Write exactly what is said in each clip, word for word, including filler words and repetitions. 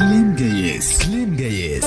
كلام جايس كلام جايس.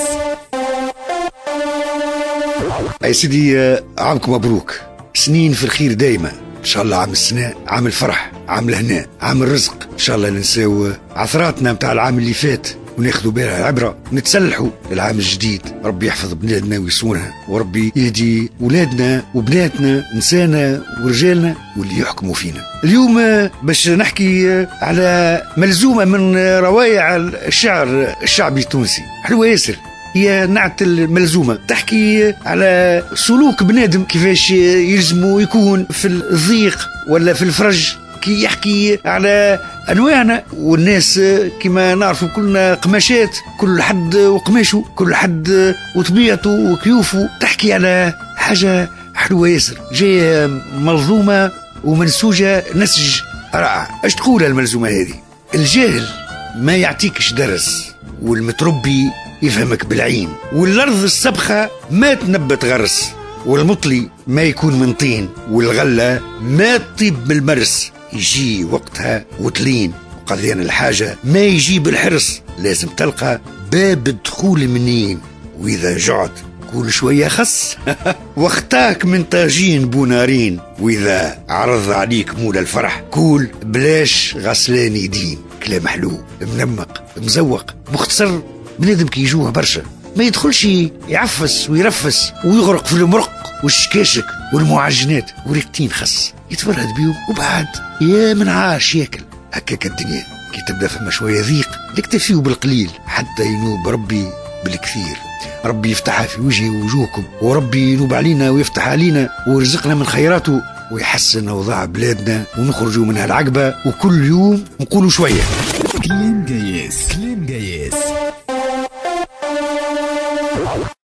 يا سيدي عامكم مبروك، سنين في الخير دايما ان شاء الله. عام السنة عام الفرح، عام الهنا، عام الرزق ان شاء الله. ننساو عثراتنا متاع العام اللي فات وناخذوا بها عبره، نتسلحوا للعام الجديد. ربي يحفظ بلادنا ويصونها، وربي يهدي ولادنا وبناتنا، نسانا ورجالنا واللي يحكموا فينا. اليوم باش نحكي على ملزومه من روايع الشعر الشعبي التونسي، حلوة ياسر. هي نعت الملزومة، تحكي على سلوك بنادم كيفاش يلزمه يكون في الضيق ولا في الفرج، كي يحكي على أنواعنا والناس كما نعرفوا كلنا قماشات، كل حد وقماشه، كل حد وطبيعته وكيوفه. تحكي على حاجة حلوة ياسر، جاية منظومة ومنسوجة نسج رائع. اش تقول الملزومة هذه؟ الجاهل ما يعطيكش درس، والمتربي يفهمك بالعين، والأرض السبخة ما تنبت غرس، والمطلي ما يكون من طين، والغلة ما تطيب من المرس، يجي وقتها وتلين، وقضيان الحاجة ما يجي بالحرص، لازم تلقى باب الدخول منين، وإذا جعت كل شوية خص واختاك من طاجين بونارين، وإذا عرض عليك مول الفرح كول بلاش غسلان يدين. كلام حلو منمق مزوق مختصر. بنادم كي يجوه برشا ما يدخلش يعفس ويرفس ويغرق في المرق والشكاشك والمعجنات وريقتين خس، يتفرهد بيهم وبعد يا من عاش ياكل. هكاك الدنيا كي تبدا فما شوية ضيق نكتفيو بالقليل حتى ينوب ربي بالكثير. ربي يفتحها في وجهي ووجوهكم، وربي ينوب علينا ويفتح علينا ويرزقنا من خيراته ويحسن اوضاع بلادنا ونخرجوا من هالعقبه. وكل يوم نقولوا شوية. كلام جايس.